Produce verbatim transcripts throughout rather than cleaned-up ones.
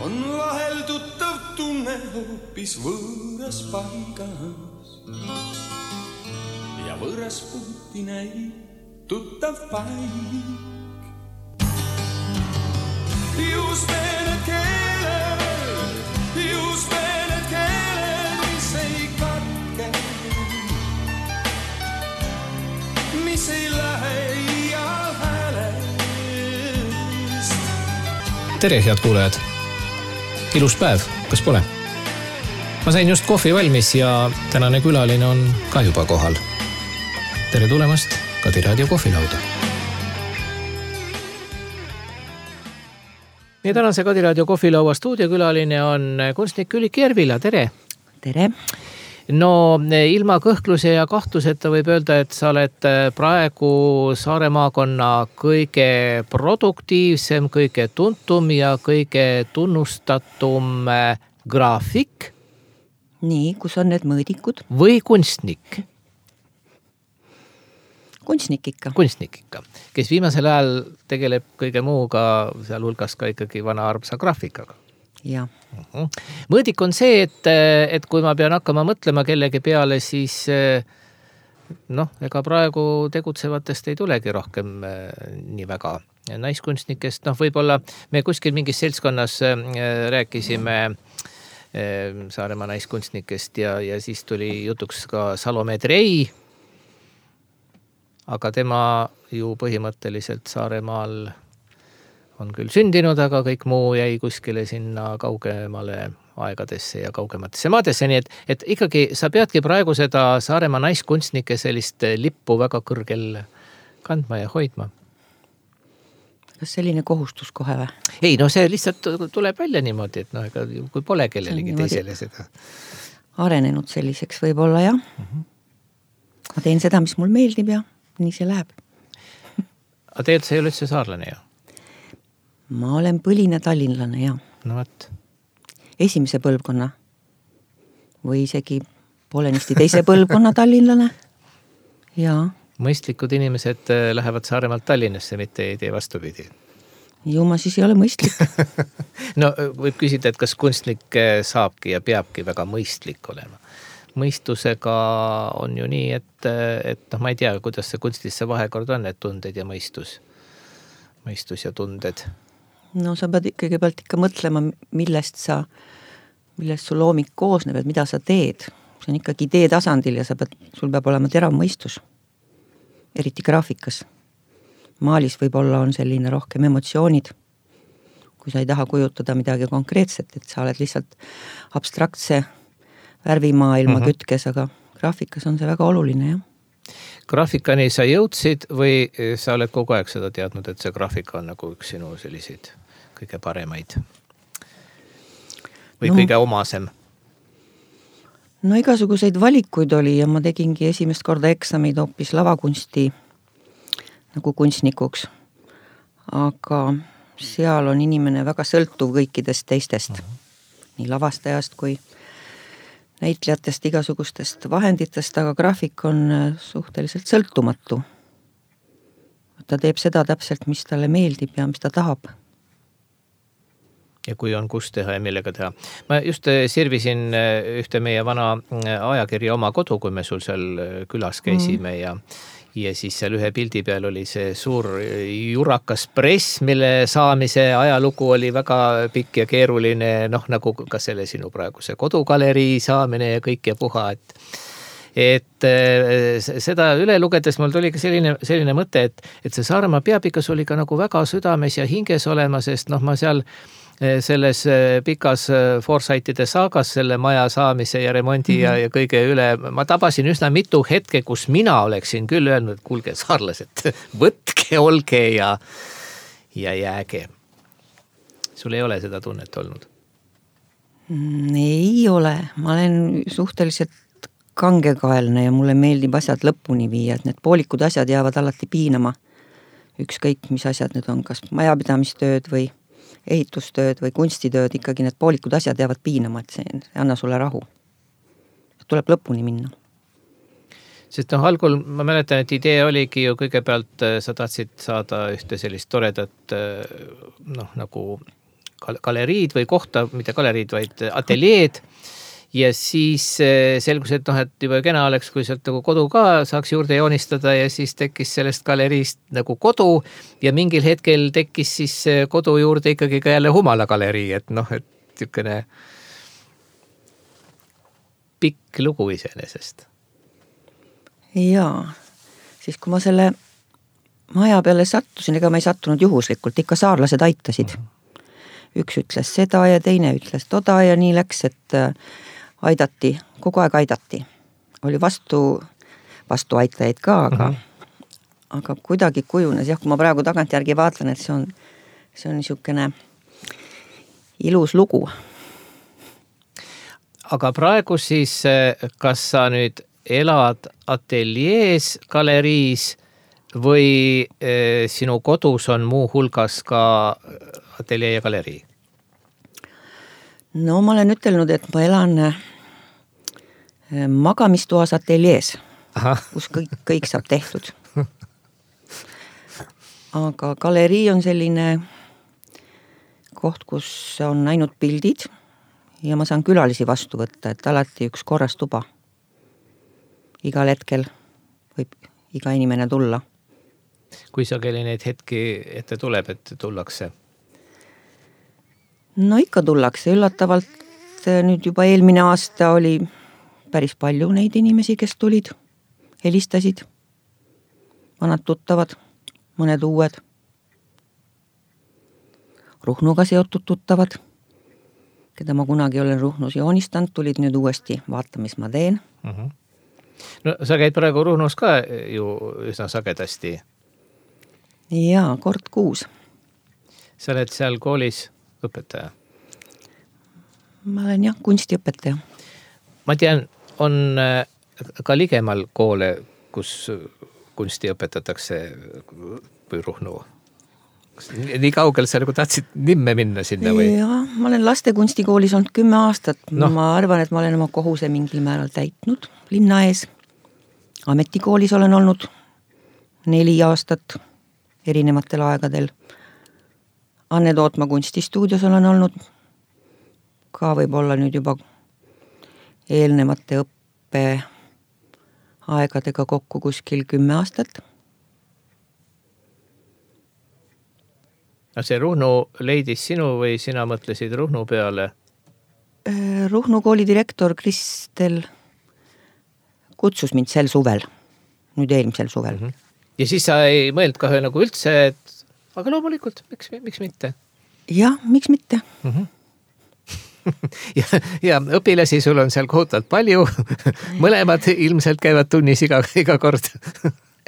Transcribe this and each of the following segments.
on vahel tuttav tunne hoopis võõras paigas ja võõras puuti näib tuttav paik. Just need keeled, just need keeled, mis ei katke, mis ei lähe iial häälest. Tere, head kuulajad! Ilus päev, kas pole? Ma sain just kohvi valmis ja tänane külaline on ka juba kohal. Tere tulemast Kadi Raadio kohvilauda. Ja tänase Kadi Raadio kohvilaua stuudiokülaline on kunstnik Ülliki Järvila. Tere! Tere! No ilma kõhkluse ja kahtluseta võib öelda, et sa oled praegu Saare maakonna kõige produktiivsem, kõige tuntum ja kõige tunnustatum graafik. Nii, kus on need mõõdikud? Või kunstnik? Kunstnik ikka. Kunstnik ikka, kes viimasel ajal tegeleb kõige muuga, seal hulgas ka ikkagi vana armsa graafikaga. Ja. Uh-huh. Mõõdik on see, et, et kui ma pean hakkama mõtlema kellegi peale, siis noh, ega praegu tegutsevatest ei tulegi rohkem nii väga naiskunstnikest. Noh, võib-olla me kuskil mingis seltskonnas rääkisime Saaremaa naiskunstnikest ja, ja siis tuli jutuks ka Salome Trei, aga tema ju põhimõtteliselt Saaremaal on küll sündinud, aga kõik muu jäi kuskile sinna kaugemale aegadesse ja kaugematesse maadesse. Nii et, et ikkagi sa peadki praegu seda Saaremaa naiskunstnike sellist lippu väga kõrgel kandma ja hoidma. Kas selline kohustus kohe või? Ei, no see lihtsalt tuleb välja niimoodi, et no, ega, kui pole kellelegi teisele seda. Arenenud selliseks võib-olla, jah. Uh-huh. Ma teen seda, mis mul meeldib ja nii see läheb. Aga tegelikult sa ei ole üldse saarlane, jah? Ma olen põline tallinlane, jah. No võt. Esimese põlvkonna või isegi poolenisti teise põlvkonna tallinlane. Jaa. Mõistlikud inimesed lähevad Saaremaalt Tallinnasse, mitte ei tee vastupidi. Ju ma siis ei ole mõistlik. No võib küsida, et kas kunstnik saabki ja peabki väga mõistlik olema. Mõistusega on ju nii, et, et noh, ma ei tea, kuidas see kunstis see vahekord on, et tunded ja mõistus. Mõistus ja tunded. No sa pead kõigepealt ikka mõtlema, millest sa, millest su loomik koosneb, et mida sa teed. See on ikkagi idee tasandil ja sa pead, sul peab olema terav mõistus. Eriti graafikas. Maalis võib-olla on selline rohkem emotsioonid, kui sa ei taha kujutada midagi konkreetset, et sa oled lihtsalt abstraktse värvimaailma mm-hmm. kütkes, aga graafikas on see väga oluline, jah. Graafikani sa jõudsid või sa oled kogu aeg seda teadnud, et see graafika on nagu üks sinu selliseid kõige paremaid või no, kõige omasem? No igasuguseid valikuid oli ja ma tegingi esimest korda eksamid hoopis lavakunsti nagu kunstnikuks. Aga seal on inimene väga sõltuv kõikidest teistest, mm-hmm. nii lavastajast kui näitlejatest, igasugustest vahenditest, aga graafik on suhteliselt sõltumatu. Ta teeb seda täpselt, mis talle meeldib ja mis ta tahab. Ja kui on kus teha ja millega teha. Ma just sirvisin ühte meie vana ajakirja Oma kodu, kui me sul seal külas käisime mm. ja Ja siis seal ühe pildi peal oli see suur jurakas press, mille saamise ajalugu oli väga pikk ja keeruline, noh nagu ka selle sinu praeguse kodugalerii saamine ja kõik ja puha, et, et seda üle lugedes mul tuli ka selline, selline mõte, et, et see Saaremaa peapikas oli ka nagu väga südames ja hinges olema, sest noh, ma seal selles pikas Forsythide saagas selle maja saamise ja remondi mm-hmm. ja, ja kõige üle, ma tabasin üsna mitu hetke, kus mina oleksin küll öelnud, et kuulge saarlased, võtke, olge ja, ja jääge. Sul ei ole seda tunnet olnud? Ei ole. Ma olen suhteliselt kangekaelne ja mulle meeldib asjad lõpuni viia, et need poolikud asjad jäävad alati piinama. Ükskõik, mis asjad need on, kas majapidamistööd või ehitustööd või kunstitööd, ikkagi need poolikud asjad jäävad piinama, et see, see anna sulle rahu. Tuleb lõpuni minna. Sest noh, algul ma mäletan, et idee oligi ju kõigepealt, sa tahtsid saada ühte sellist toredat noh, nagu galeriid või kohta, mitte galeriid, vaid ateljeed. Ja siis selgus, et noh, et juba kena oleks, kui sealt nagu kodu ka saaks juurde joonistada ja siis tekkis sellest galeriist nagu kodu ja mingil hetkel tekkis siis kodu juurde ikkagi ka jälle Humala galerii, et noh, et tükene pikk lugu iseenesest. Jaa, siis kui ma selle maja peale sattusin, ega ma ei sattunud juhuslikult, ikka saarlased aitasid. Üks ütles seda ja teine ütles toda ja nii läks, et aidati, kogu aeg aidati. Oli vastu, vastu aitajaid ka, aga, mm-hmm. aga kuidagi kujunes. Jah, kui ma praegu tagantjärgi vaatlen, et see on, see on niisugune ilus lugu. Aga praegu siis, kas sa nüüd elad ateljees, galeriis või eh, sinu kodus on muu hulgas ka ateljee ja galerii? No ma olen ütelnud, et ma elan magamistoas ateljees, Aha. kus kõik, kõik saab tehtud. Aga galerii on selline koht, kus on ainult pildid ja ma saan külalisi vastu võtta, et alati üks korras tuba. Igal hetkel võib iga inimene tulla. Kui sageli neid hetki ette tuleb, et tullakse? No ikka tullakse, üllatavalt nüüd juba eelmine aasta oli päris palju neid inimesi, kes tulid, helistasid, vanad tuttavad, mõned uued, Ruhnuga seotud tuttavad, keda ma kunagi olen Ruhnus joonistanud, tulid nüüd uuesti vaata, mis ma teen. Uh-huh. No sa käid praegu Ruhnus ka ju üsna sagedasti. Jaa, kord kuus. Sa oled seal koolis õpetaja? Ma olen jah, kunstiõpetaja. Ma tean, on ka ligemal koole, kus kunsti õpetatakse või Ruhnu. Nii kaugel sa nagu tahtsid nimme minna sinna või? Jaa, ma olen lastekunstikoolis olnud kümme aastat. No. Ma arvan, et ma olen oma kohuse mingil määral täitnud linna ees. Ametikoolis olen olnud neli aastat erinevatel aegadel. Anne Tootma kunstistuudios olen olnud ka võib-olla nüüd juba eelnevate õppe aegadega kokku kuskil kümme aastat. No see Ruhnu leidis sinu või sina mõtlesid Ruhnu peale? Ruhnu kooli direktor Kristel kutsus mind sel suvel, nüüd eelmisel suvel. Mm-hmm. Ja siis sa ei mõeld ka nagu üldse, et aga loomulikult, miks, miks mitte? Jah, miks mitte? Mm-hmm. ja, ja õpilasi sul on seal kohutavalt palju, mõlemad ilmselt käivad tunnis iga, iga kord.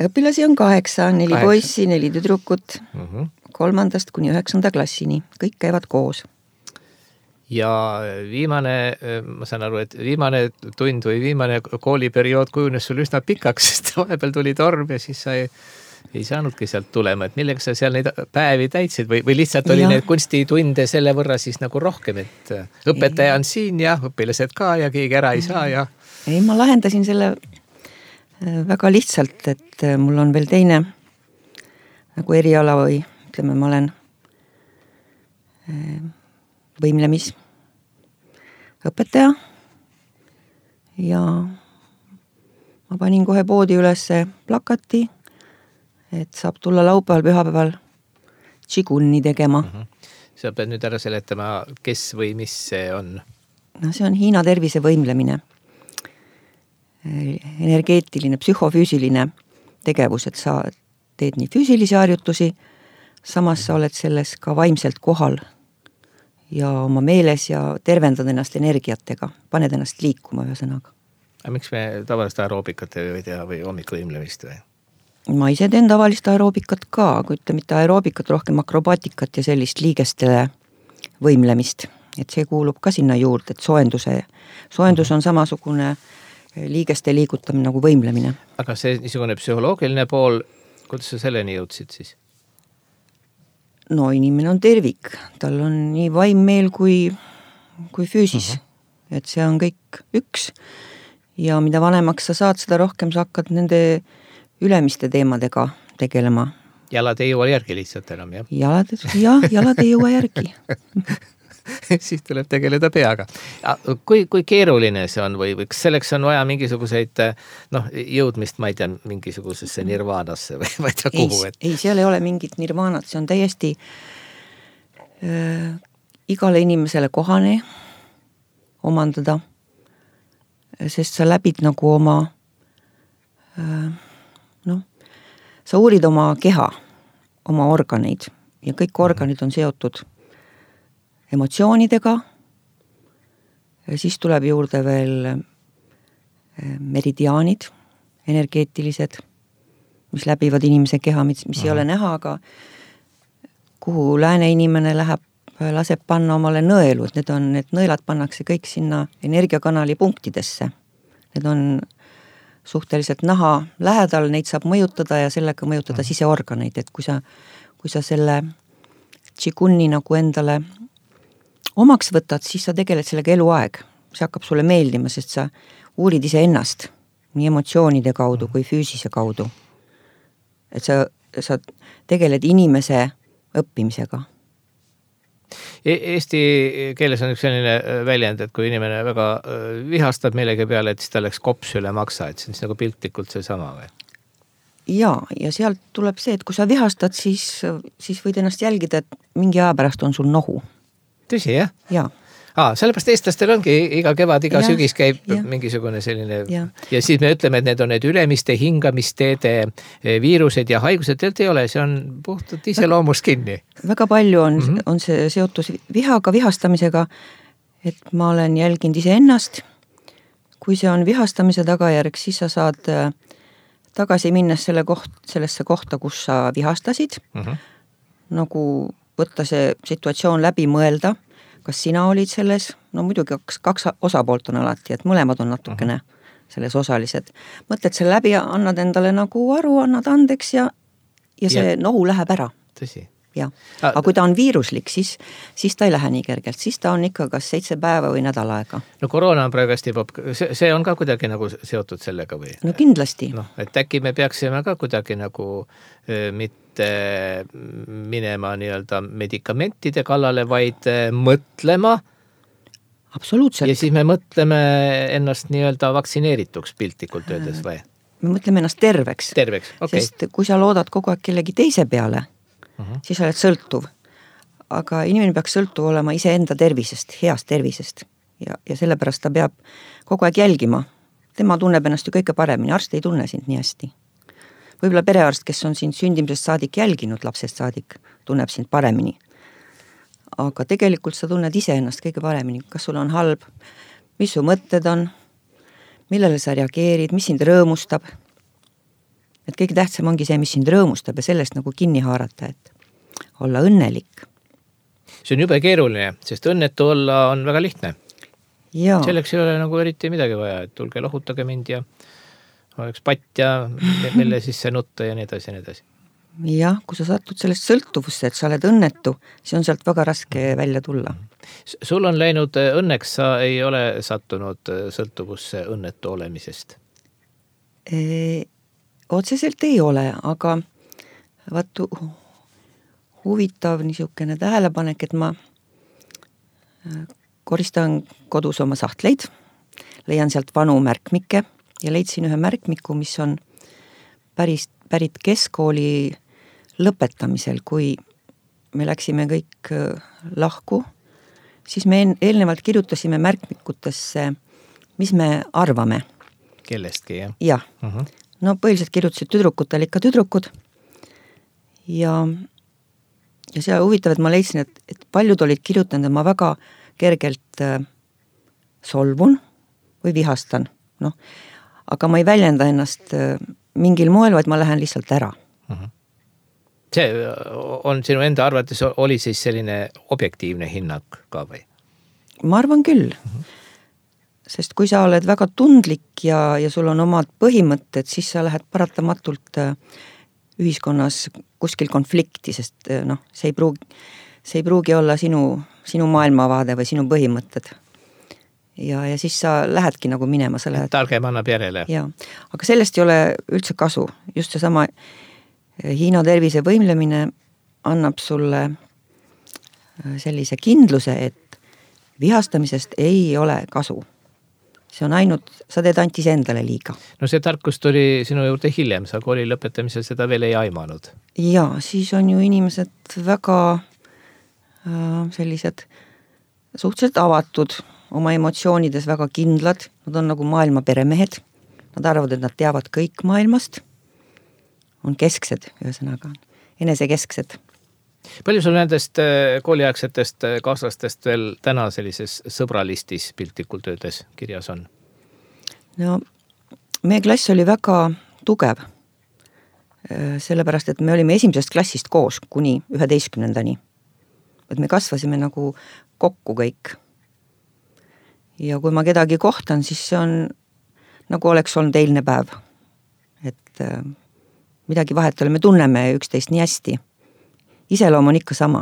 Õpilasi on kaheksa, neli kaheksa. Poissi, neli tüdrukut, mm-hmm. kolmandast kuni üheksanda klassini, kõik käivad koos. Ja viimane, ma saan aru, et viimane tund või viimane kooliperiood kujunes sul üsna pikaks, sest vahepeal tuli torm ja siis sa ei, ei saanudki sealt tulema, et millega sa seal neid päevi täitsid või, või lihtsalt oli ja. Need kunstitunde selle võrra siis nagu rohkem, et õpetaja on siin ja õpilased ka ja keegi ära ei saa ja... Ei, ma lahendasin selle väga lihtsalt, et mul on veel teine nagu eriala või ütleme, ma olen võimlemis õpetaja ja ma panin kohe poodi ülesse plakati, et saab tulla laupäeval, pühapäeval tšigunni tegema. Mm-hmm. Sa pead nüüd ära seletama, kes või mis see on? No see on Hiina tervise võimlemine. Energeetiline, psühhofüüsiline tegevus, et sa teed nii füüsilisi harjutusi, samas sa oled selles ka vaimselt kohal ja oma meeles ja tervendad ennast energiatega, paned ennast liikuma ühesõnaga. Aga miks me tavalist aeroobikat ei teha või hommikuvõimlemist või? Ma ise teen tavalist aeroobikat ka, kui ütle mitte aeroobikat, rohkem akrobaatikat ja sellist liigestele võimlemist. Et see kuulub ka sinna juurde, et soenduse, soendus on samasugune liigeste liigutamine nagu võimlemine. Aga see niisugune psühholoogiline pool, kuidas sa selleni jõudsid siis? No inimene on tervik, tal on nii vaimmeel kui, kui füüsis, uh-huh. et see on kõik üks ja mida vanemaks sa saad, seda rohkem sa hakkad nende ülemiste teemadega tegelema Jalad ei jõua järgi lihtsalt enam, jah? Jalad, jah, jalad ei jõua järgi. Siis tuleb tegeleda peaga. Kui, kui keeruline see on või, või kas selleks on vaja mingisuguseid noh, jõudmist, ma ei tea, mingisugusesse nirvaanasse või ma ei tea kuhu? Ei, et... ei, seal ei ole mingit nirvaanat, see on täiesti äh, igale inimesele kohane omandada, sest sa läbid nagu oma äh, noh, sa uurid oma keha, oma organeid ja kõik organid on seotud emotsioonidega, siis tuleb juurde veel meridiaanid, energeetilised, mis läbivad inimese keha, mis, mis ei ole näha, aga kuhu lääne inimene läheb, laseb panna omale nõelu, et need on, need nõelad pannakse kõik sinna energiakanali punktidesse. Need on suhteliselt naha lähedal, neid saab mõjutada ja sellega mõjutada siseorganeid, et kui sa, kui sa selle Qiguni nagu endale omaks võtad, siis sa tegeled sellega eluaeg. See hakkab sulle meeldima, sest sa uurid ise ennast nii emotsioonide kaudu kui füüsise kaudu. Et sa, sa tegeled inimese õppimisega. Eesti keeles on üks selline väljend, et kui inimene väga vihastab millegi peale, et siis ta läks kops üle maksa, et see on nagu piltlikult see sama või? Ja, ja sealt tuleb see, et kui sa vihastad, siis, siis võid ennast jälgida, et mingi aja pärast on sul nohu. Tõsi, jah? Jaa. Aa, sellepärast eestlastel ongi iga kevad, iga ja, sügis käib ja. mingisugune selline ja. ja siis me ütleme, et need on need ülemiste hingamisteede viirused ja haigused, et ei ole, see on puhtalt iseloomus kinni. Väga palju on, mm-hmm. on see seotus vihaga, vihastamisega, et ma olen jälginud ise ennast. Kui see on vihastamise tagajärg, siis sa saad tagasi minnes selle koht, sellesse kohta, kus sa vihastasid, mm-hmm. nagu võtta see situatsioon läbi mõelda, kas sina olid selles, no muidugi kaks, kaks osapoolt on alati, et mõlemad on natukene selles osalised. Mõtled selle läbi ja annad endale nagu aru, annad andeks ja, ja see ja. nohu läheb ära. Tõsi. Ja. Aga kui ta on viiruslik, siis, siis ta ei lähe nii kergelt, siis ta on ikka kas seitse päeva või nädal aega. No koroona on praegu hästi, see, see on ka kuidagi nagu seotud sellega või? No kindlasti. No, et äkki me peaksime ka kuidagi nagu äh, mitte minema nii-öelda medikamentide kallale, vaid äh, mõtlema. Absoluutselt. Ja siis me mõtleme ennast nii-öelda vaktsineerituks piltlikult öeldes või? Me mõtleme ennast terveks. Terveks, okei. Okay. Sest kui sa loodad kogu aeg kellegi teise peale, Uh-huh. siis oled sõltuv. Aga inimene peaks sõltuv olema iseenda tervisest, heast tervisest. Ja, ja sellepärast ta peab kogu aeg jälgima. Tema tunneb ennast ju kõige paremini, arst ei tunne sind nii hästi. Võib-olla perearst, kes on sind sündimisest saadik jälginud, lapsest saadik, tunneb sind paremini. Aga tegelikult sa tunned ise ennast kõige paremini. Kas sul on halb, mis su mõtted on, millele sa reageerid, mis sind rõõmustab. Et kõige tähtsam ongi see, mis sind rõõmustab ja sellest nagu kinni haarata, et olla õnnelik. See on jube keeruline, sest õnnetu olla on väga lihtne. Ja. Selleks ei ole nagu eriti midagi vaja, et tulge lohutage mind ja oleks patt ja mille sisse nutta ja nii edasi ja nii edasi. Jah, kui sa satud sellest sõltuvusse, et sa oled õnnetu, siis on sealt väga raske välja tulla. Sul on läinud õnneks, sa ei ole sattunud sõltuvusse õnnetu olemisest? E- Otseselt ei ole, aga vaatu huvitav niisugune tähelepanek, et ma koristan kodus oma sahtleid, leian sealt vanu märkmikke ja leidsin ühe märkmiku, mis on päris, pärit keskkooli lõpetamisel, kui me läksime kõik lahku, siis me eelnevalt kirjutasime märkmikutesse, mis me arvame. Kellestki, jah? Jah. Uh-huh. No põhiliselt kirjutasid tüdrukutel ikka tüdrukud ja, ja see huvitav, et ma leidsin, et, et paljud olid kirjutanud, et ma väga kergelt äh, solvun või vihastan, noh, aga ma ei väljenda ennast äh, mingil moel, vaid ma lähen lihtsalt ära. Uh-huh. See on sinu enda arvates oli siis selline objektiivne hinnang ka või? Ma arvan küll. Uh-huh. Sest kui sa oled väga tundlik ja, ja sul on omad põhimõtted, siis sa lähed paratamatult ühiskonnas kuskil konflikti, sest noh, see ei pruugi, see ei pruugi olla sinu, sinu maailmavaade või sinu põhimõtted. Ja, ja siis sa lähedki nagu minema. Sa lähed... Targem annab järele. Ja, aga sellest ei ole üldse kasu. Just see sama Hiina tervise võimlemine annab sulle sellise kindluse, et vihastamisest ei ole kasu. See on ainult, sa teed antis endale liiga. No see tarkus tuli sinu juurde hiljem, sa kooli lõpetamisel seda veel ei aimanud. Ja, siis on ju inimesed väga äh, sellised suhteliselt avatud, oma emotsioonides väga kindlad, nad on nagu maailma peremehed, nad arvavad, et nad teavad kõik maailmast, on kesksed, ühesõnaga, enesekesksed. Palju sul nendest kooliaegsetest kaaslastest veel täna sellises sõbralistis piltlikult öeldes kirjas on? No, meie klass oli väga tugev, sellepärast, et me olime esimesest klassist koos kuni üheteistkümnendani. Et me kasvasime nagu kokku kõik. Ja kui ma kedagi kohtan, siis see on nagu oleks olnud eilne päev. Et midagi vahet ole, me tunneme üksteist nii hästi. Iseloom on ikka sama.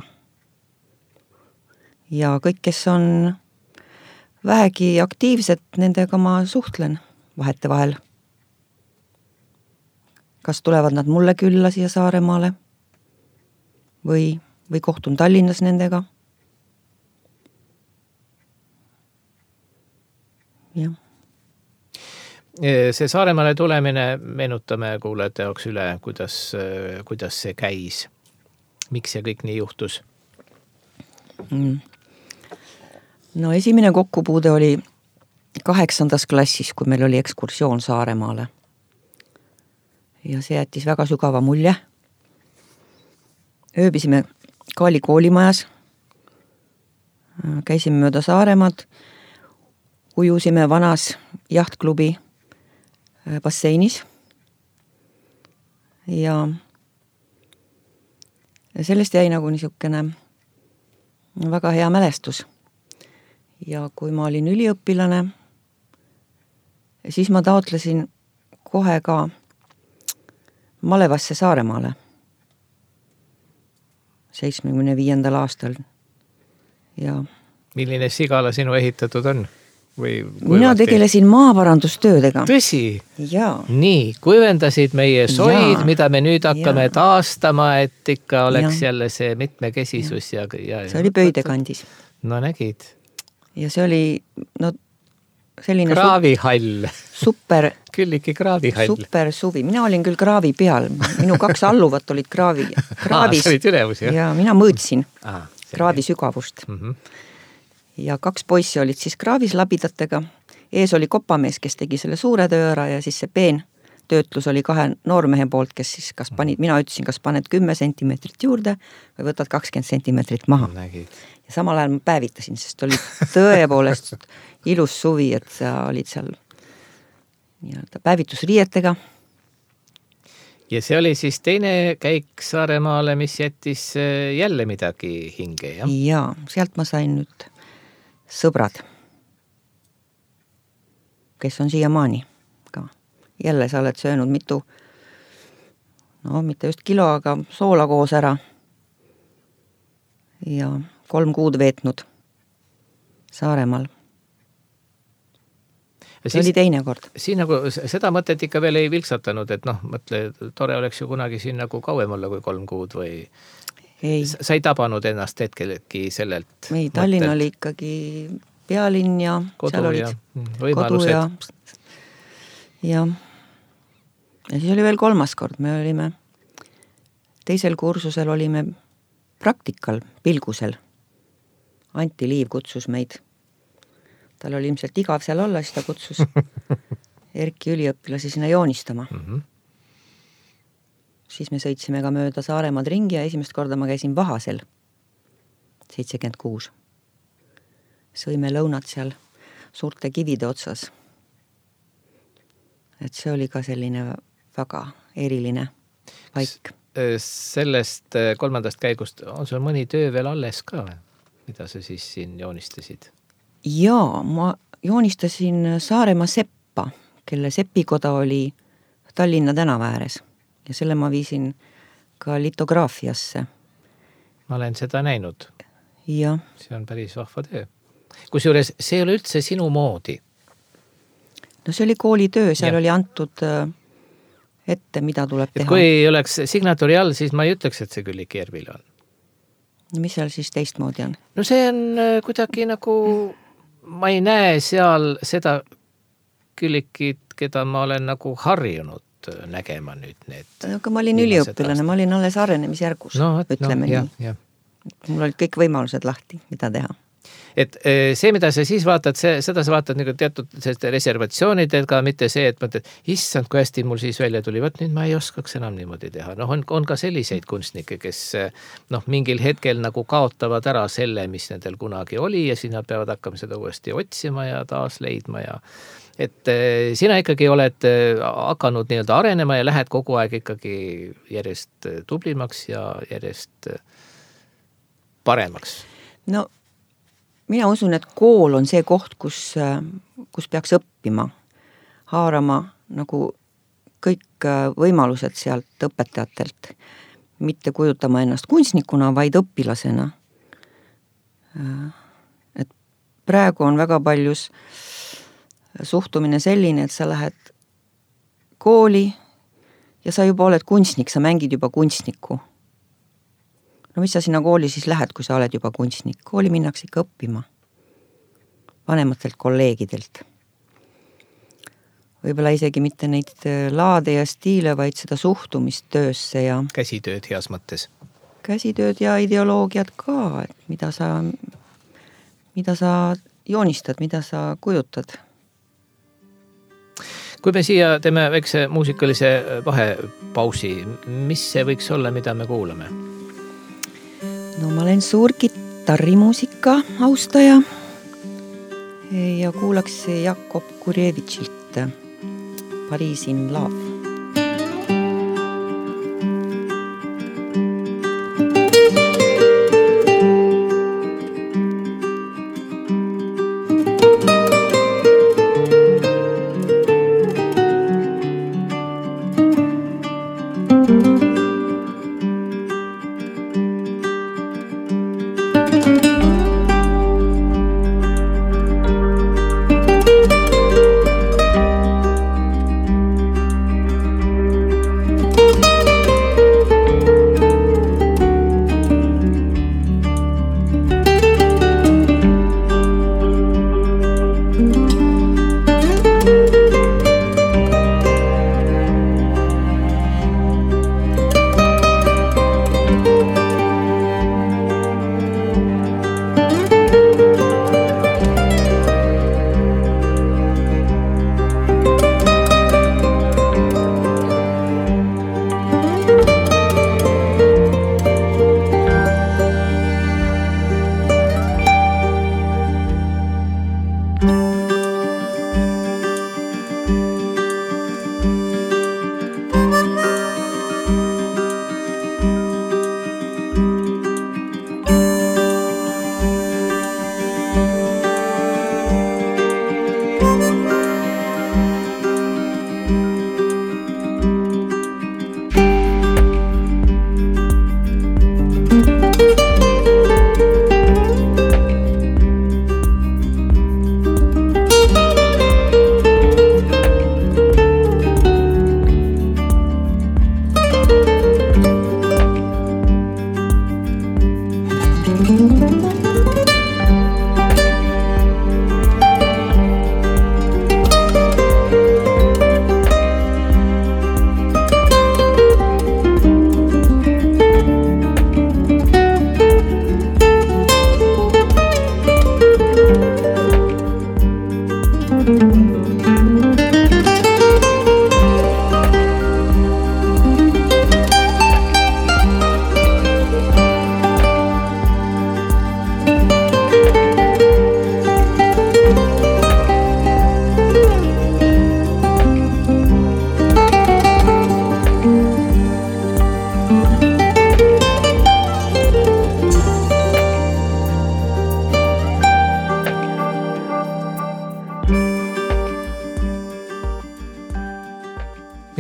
Ja kõik, kes on vähegi aktiivsed, nendega ma suhtlen vahete vahel. Kas tulevad nad mulle külla siia Saaremaale või, või kohtun Tallinnas nendega. Jah. See Saaremaale tulemine, meenutame kuulajate jaoks üle, kuidas, kuidas see käis. Miks see kõik nii juhtus? No esimene kokkupuude oli kaheksandas klassis, kui meil oli ekskursioon Saaremaale. Ja see jättis väga sügava mulje. Ööbisime Kaali koolimajas, käisime mööda Saaremaad, ujusime vanas jahtklubi basseinis ja Ja sellest jäi nagu niisugune väga hea mälestus. Ja kui ma olin üliõpilane, siis ma taotlesin kohe ka Malevasse Saaremaale seitsmekümne viiendal aastal. Ja milline sigala sinu ehitatud on? Või mina tegelesin maaparandustöödega. Tõsi? Jaa. Nii, kuivendasid meie soid, Jaa. Mida me nüüd hakkame Jaa. taastama, et ikka oleks Jaa. jälle see mitmekesisus. Ja. Ja, ja, see oli Pöidekandis. No nägid. Ja see oli no, selline kraavihall. Super, Külliki kraavihall. Super suvi. Mina olin küll kraavi peal. Minu kaks alluvat olid kraavi. Kraavis. Aa, sa olid ülevus, jah? Ja mina mõõtsin Aa, kraavi sügavust. Mhm. Ja kaks poissi olid siis kraavis labidatega. Ees oli kopamees, kes tegi selle suure töö ära ja siis see peen töötlus oli kahe noormehe poolt, kes siis kas panid, mina ütlesin, kas paned kümme sentimeetrit juurde või võtad kakskümmend sentimeetrit maha. Nägid. Ja samal ajal ma päevitasin, sest oli tõepoolest ilus suvi, et sa olid seal nii-öelda päevitusriietega. Ja see oli siis teine käik Saaremaale, mis jättis jälle midagi hinge, jah? Jaa, sealt ma sain nüüd sõbrad, kes on siiamaani ka. Jälle sa oled söönud mitu, no mitte just kilo, aga soola koos ära. Ja kolm kuud veetnud Saaremaal. See siis, oli teine kord. Siin nagu seda mõtet ikka veel ei vilksatanud, et noh, mõtle, tore oleks ju kunagi siin nagu kauem olla kui kolm kuud või... Ei. Sa ei tabanud ennast hetkelegi sellelt ei, Tallinn mõttelt. Oli ikkagi pealinn ja kodu seal olid ja võimalused. Kodu ja, ja. ja siis oli veel kolmas kord. Me olime teisel kursusel olime praktikal Pilgusel. Anti Liiv kutsus meid. Tal oli ilmselt igav seal olla, siis ta kutsus Erki üliõpilasi sinna joonistama. Mhm. Siis me sõitsime ka mööda Saaremaad ringi ja esimest korda ma käisin Vahasel, seitsekümmend kuus. Sõime lõunat seal suurte kivide otsas. Et see oli ka selline väga eriline paik. Sellest kolmandast käigust on sul mõni töö veel alles ka, mida sa siis siin joonistasid? Jaa, ma joonistasin Saaremaa Seppa, kelle sepikoda oli Tallinna tänava ääres. Ja selle ma viisin ka litograafiasse. Ma olen seda näinud. Ja. See on päris vahva töö. Kusjuures see ei ole üldse sinu moodi. No see oli koolitöö, seal ja. Oli antud ette, mida tuleb et teha. kui ei oleks signatuuri all, siis ma ei ütleks, et see Külliki Järvila on. Mis seal siis teistmoodi on? No see on kuidagi nagu, ma ei näe seal seda Küllikit, keda ma olen nagu harjunud nägema nüüd need. Aga ma olin üliõpilane, ma olin alles arenemisjärgus, no, ütleme no, nii. Ja, ja. Mul olid kõik võimalused lahti, mida teha. Et see, mida sa siis vaatad, see, seda sa vaatad nagu teatud reservatsioonidega, mitte see, et mõtled, issand, kui hästi mul siis välja tuli, võt nüüd ma ei oskaks enam niimoodi teha. Noh, on, on ka selliseid kunstnikke, kes noh, mingil hetkel nagu kaotavad ära selle, mis nendel kunagi oli ja siis nad peavad hakkama seda uuesti otsima ja taas leidma ja et sina ikkagi oled hakanud nii-öelda arenema ja lähed kogu aeg ikkagi järjest tublimaks ja järjest paremaks. No mina usun, et kool on see koht, kus, kus peaks õppima, haarama nagu kõik võimalused sealt õpetajatelt, mitte kujutama ennast kunstnikuna, vaid õpilasena. Et praegu on väga paljus suhtumine selline, et sa lähed kooli ja sa juba oled kunstnik, sa mängid juba kunstniku. No mis sa sinna kooli siis lähed, kui sa oled juba kunstnik? Kooli minnakse ikka õppima vanematelt kolleegidelt. Võib-olla isegi mitte neid laade ja stiile, vaid seda suhtumist töösse ja käsitööd heas mõttes. Käsitööd ja ideoloogiad ka, et mida sa, mida sa joonistad, mida sa kujutad. Kui me siia teeme väikse muusikalise vahepausi, mis see võiks olla, mida me kuulame? No ma olen suur kitarrimuusika austaja ja kuulaks Jakob Kurevitšilt Paris in Love.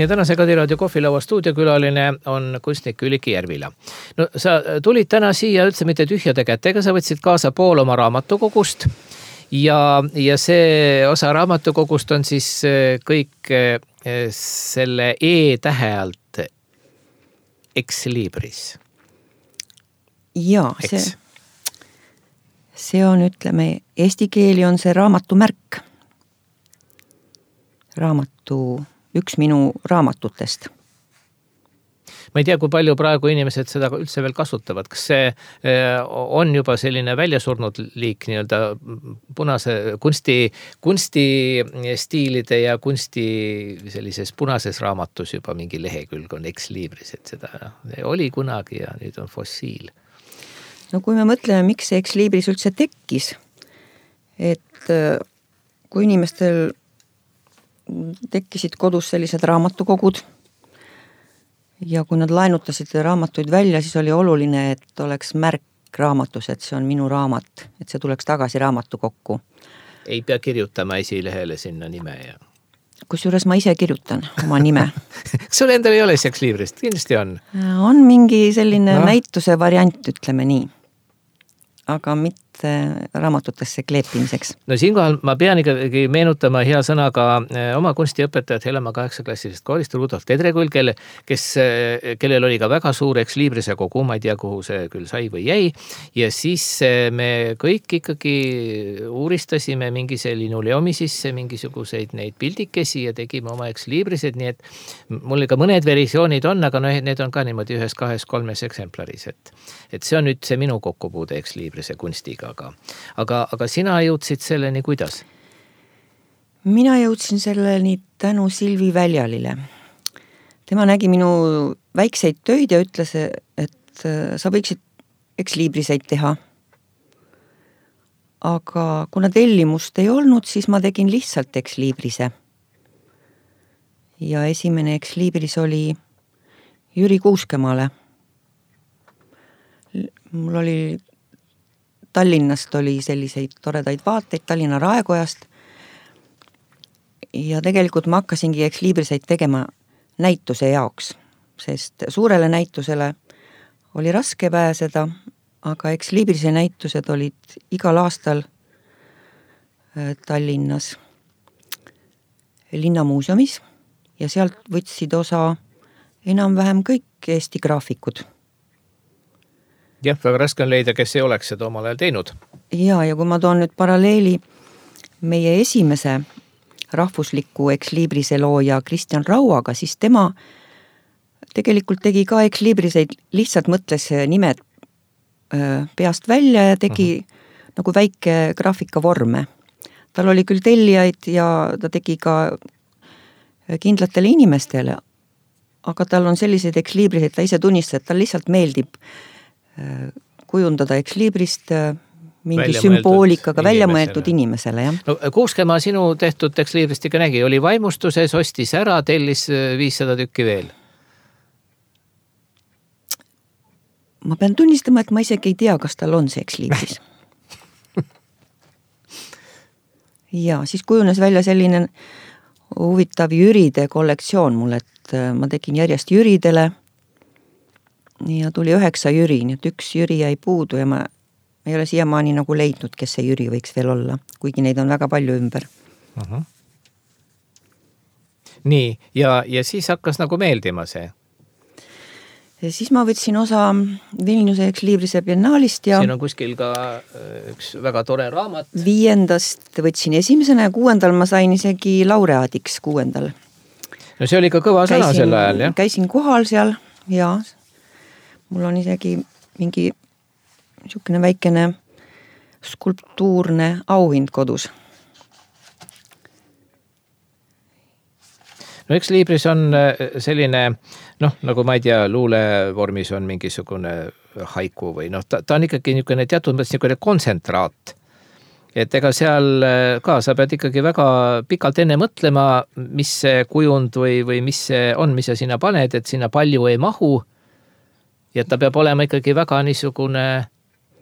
Ja tänase Kadiraadio kohvilaua stuudiokülaline on kunstnik Külliki Järvila. No sa tulid täna siia üldse mitte tühjade kätega, sa võtsid kaasa pool oma raamatukogust ja, ja see osa raamatukogust on siis kõik selle E-tähe alt ex libris. Jaa, see, see on, ütleme, eesti keeli on see raamatu märk. Raamatu, üks minu raamatutest. Ma ei tea, kui palju praegu inimesed seda üldse veel kasutavad. Kas see on juba selline väljasurnud liik nii-öelda punase kunsti, kunstistiilide ja kunsti sellises punases raamatus juba mingi lehekülg on ex libris, et seda oli kunagi ja nüüd on fossiil. No kui me mõtleme, miks see ex libris üldse tekkis, et kui inimestel tekkisid kodus sellised raamatukogud ja kui nad laenutasid raamatuid välja, siis oli oluline, et oleks märk raamatus, et see on minu raamat, et see tuleks tagasi raamatukokku. Ei pea kirjutama esilehele sinna nime ja... Kusjuures ma ise kirjutan oma nime. Sul endal ei ole ex librist, kindlasti on. On mingi selline no. näituse variant, ütleme nii. Aga mitte raamatutesse kleepimiseks. No siinkohal ma pean ikkagi meenutama hea sõnaga oma kunstiõpetajat Helema kaheksaklassilisest koolist Rudolf Tedrekull, kelle, kes, kellel oli ka väga suur ex librise kogu, ma ei tea, kuhu see küll sai või jäi. Ja siis me kõik ikkagi uuristasime mingise linoleumi sisse mingisuguseid neid pildikesi ja tegime oma ex librised, nii et mul ka mõned versioonid on, aga no, need on ka niimoodi ühes, kahes, kolmes eksemplaris. Et, et see on nüüd see minu kokkupuude ex librise kunstiga. Aga, aga, aga sina jõudsid selleni kuidas? Mina jõudsin selleni tänu Silvi Väljalile. Tema nägi minu väikseid töid ja ütles, et sa võiksid ex libriseid teha. Aga kuna tellimust ei olnud, siis ma tegin lihtsalt ex librise. Ja esimene ex libris oli Jüri Kuuskemaale. Mul oli Tallinnast oli selliseid toredaid vaateid Tallinna Raekojast ja tegelikult ma hakkasingi ex libriseid tegema näituse jaoks, sest suurele näitusele oli raske pääseda, aga ex librise näitused olid igal aastal Tallinnas linnamuuseumis ja sealt võtsid osa enam-vähem kõik Eesti graafikud. Jah, väga raske on leida, kes ei oleks seda omal ajal teinud. Ja, ja kui ma toon nüüd paralleeli meie esimese rahvusliku ex librise looja Kristjan Rauaga, siis tema tegelikult tegi ka ex libriseid, lihtsalt mõtles nimed peast välja ja tegi uh-huh. nagu väike graafikavorme. Tal oli küll tellijaid ja ta tegi ka kindlatele inimestele, aga tal on selliseid ex libriseid, ta ise tunnistas, et tal lihtsalt meeldib kujundada ex librist mingi välja sümboolikaga välja mõeldud inimesele. Jah. No, Kuuskemaa sinu tehtud ex librist ikka nägi, oli vaimustuses, ostis ära, tellis viissada tükki veel. Ma pean tunnistama, et ma isegi ei tea, kas tal on see ex libris. Ja siis kujunes välja selline huvitav Jüride kollektsioon mul, et ma tegin järjest Jüridele ja tuli üheksa Jüri, nii et üks Jüri jäi puudu ja ma ei ole siiamaani nagu leidnud, kes see Jüri võiks veel olla, kuigi neid on väga palju ümber. Uh-huh. Nii, ja, ja siis hakkas nagu meeldima see? Ja siis ma võtsin osa Vilniuse ex librise biennaalist ja siin on kuskil ka üks väga tore raamat. Viiendast võtsin esimesena ja kuuendal ma sain isegi laureaadiks kuuendal. No see oli ka kõva sõna käisin, sel ajal, jah? Käisin kohal seal ja mul on isegi mingi niisugune väikene skulptuurne auhind kodus. No eks libris on selline, noh, nagu ma ei tea, luulevormis on mingisugune haiku või noh, ta, ta on ikkagi niisugune teatud mõttes niisugune kontsentraat. Et ega seal ka sa pead ikkagi väga pikalt enne mõtlema, mis see kujund või, või mis see on, mis sa sinna paned, et sinna palju ei mahu. Ja ta peab olema ikkagi väga niisugune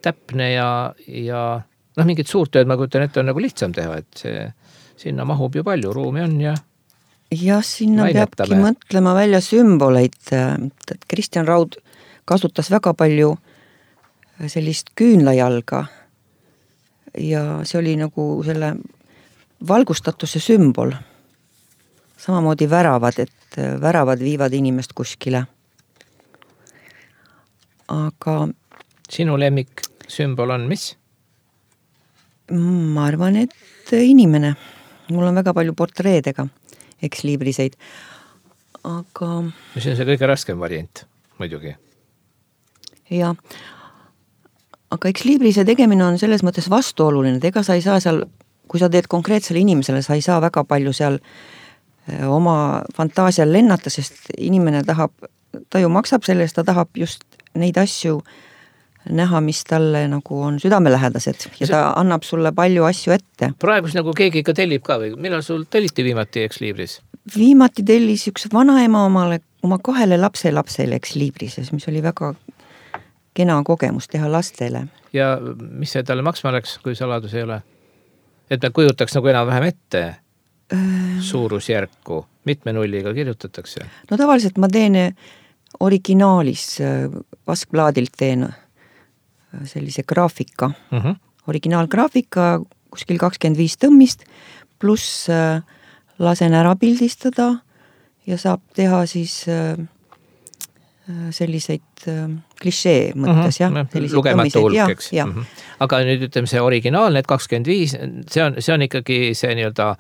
täpne ja, ja noh, mingid suurt tööd ma kujutan ette on nagu lihtsam teha, et see, sinna mahub ju palju, ruumi on ja jah, sinna Lainetame. Peabki mõtlema välja sümboleid, et Kristjan Raud kasutas väga palju sellist küünlajalga ja see oli nagu selle valgustatuse sümbol. samamoodi väravad, et väravad viivad inimest kuskile. Aga sinu lemmik sümbol on mis? Ma arvan, et inimene. Mul on väga palju portreedega ex-libriseid. Aga... see on see kõige raskem variant, muidugi. Ja. Aga ex-librise tegemine on selles mõttes vastuoluline, et ega sa ei saa seal, kui sa teed konkreetsele inimesele, sa ei saa väga palju seal oma fantaasial lennata, sest inimene tahab, ta ju maksab selle eest, ta tahab just neid asju näha, mis talle nagu on südamelähedased ja ta annab sulle palju asju ette. Praegu nagu keegi ikka tellib ka või? Millal sul telliti viimati ex-libris? Viimati tellis üks vanaema omale, oma kahele lapse lapsele ex-librises, mis oli väga kena kogemus teha lastele. Ja mis see talle maksma läks, kui saladus ei ole? Et me kujutaks nagu enam vähem ette suurusjärku, mitme nulliga kirjutatakse? No tavaliselt ma teen originaalis, vaskplaadilt teen sellise graafika, uh-huh. originaalgraafika, kuskil kakskümmend viis tõmmist, pluss lasen ära pildistada ja saab teha siis selliseid klišee mõttes, uh-huh. jah. Lugematu hulk, eks. Uh-huh. Aga nüüd ütleme see originaal, need kakskümmend viis, see on, see on ikkagi see nii-öelda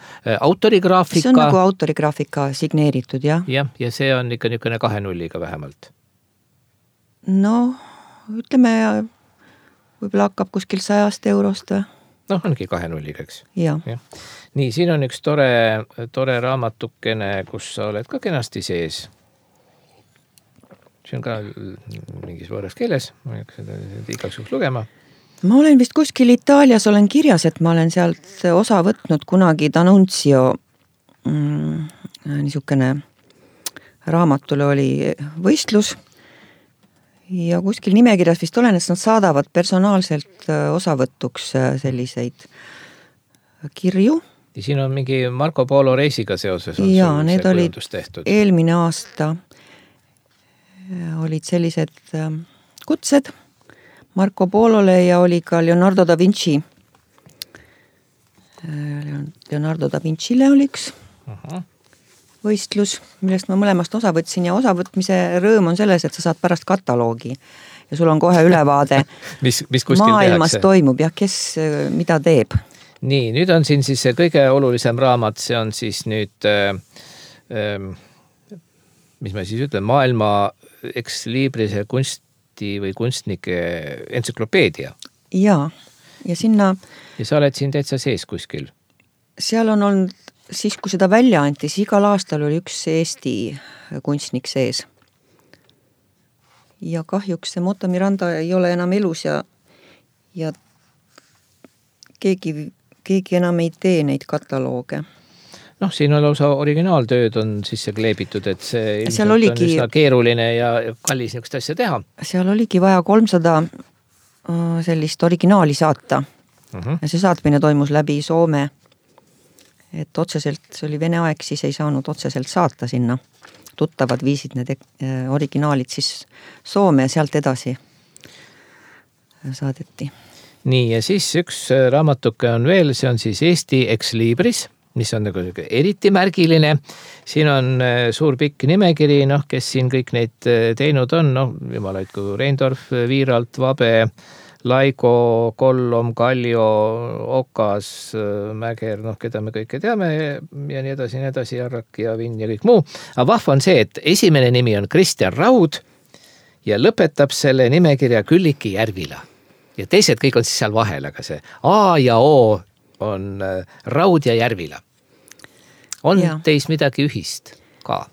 autorigraafika. See on nagu autorigraafika signeeritud, jah. jah, ja see on ikka niisugune kahe nulliga vähemalt. No, ütleme, võib-olla hakkab kuskil sajast eurost. Noh, ongi kahe nulliga, eks. Ja. Ja. Nii, siin on üks tore, tore raamatukene, kus sa oled ka kenasti sees. See on ka mingis võõras keeles, ma ei hakka seda igaks juhuks lugema. Ma olen vist kuskil Itaalias olen kirjas, et ma olen sealt osa võtnud kunagi D'Annunzio mm, niisugune raamatule oli võistlus ja kuskil nimekirjas vist olen, et nad saadavad personaalselt osavõtuks selliseid kirju. Ja siin on mingi Marco Polo reisiga seoses on ja, sul need see olid kujundus tehtud. Eelmine aasta olid sellised kutsed Marco Polole ja oli ka Leonardo da Vinci. Leonardo da Vincile oli üks uh-huh. võistlus, millest ma mõlemast osa võtsin ja osavõtmise rõõm on selles, et sa saad pärast kataloogi ja sul on kohe ülevaade mis, mis kuskil maailmas tehakse. Toimub ja kes mida teeb. Nii, nüüd on siin siis see kõige olulisem raamat, see on siis nüüd äh, äh, mis ma siis ütlen, maailma ex-librise kunsti või kunstnike entsüklopeedia. Ja, ja sinna... Ja sa oled siin täitsa sees kuskil? Seal on olnud, siis kui seda välja anti, siis igal aastal oli üks Eesti kunstnik sees. Ja kahjuks see Motta Miranda ei ole enam elus ja, ja keegi, keegi enam ei tee neid katalooge. Noh, siin on lausa originaaltööd on sisse kleebitud, et see ilmselt oligi, on üsna keeruline ja kallis niisugust asja teha. Seal oligi vaja kolmsada sellist originaali saata. Uh-huh. Ja see saatmine toimus läbi Soome. Et otseselt, see oli Vene aeg, siis ei saanud otseselt saata sinna. Tuttavad viisid need originaalid siis Soome ja sealt edasi saadeti. Nii, ja siis üks raamatuke on veel, see on siis Eesti ex-libris, mis on nagu eriti märgiline. Siin on suur pikk nimekiri, noh, kes siin kõik neid teinud on, noh, jumalaid kui Reindorf, Viiralt, Vabe, Laigo, Kollom, Kallio, Okas, Mäger, noh, keda me kõike teame ja nii edasi, nii edasi, Jarrak ja Vinn ja kõik muu. Aga vahva on see, et esimene nimi on Kristjan Raud ja lõpetab selle nimekirja Külliki Järvila. Ja teised kõik on siis seal vahel, aga see A ja O on Raud ja Järvila. On ja. Teis midagi ühist ka?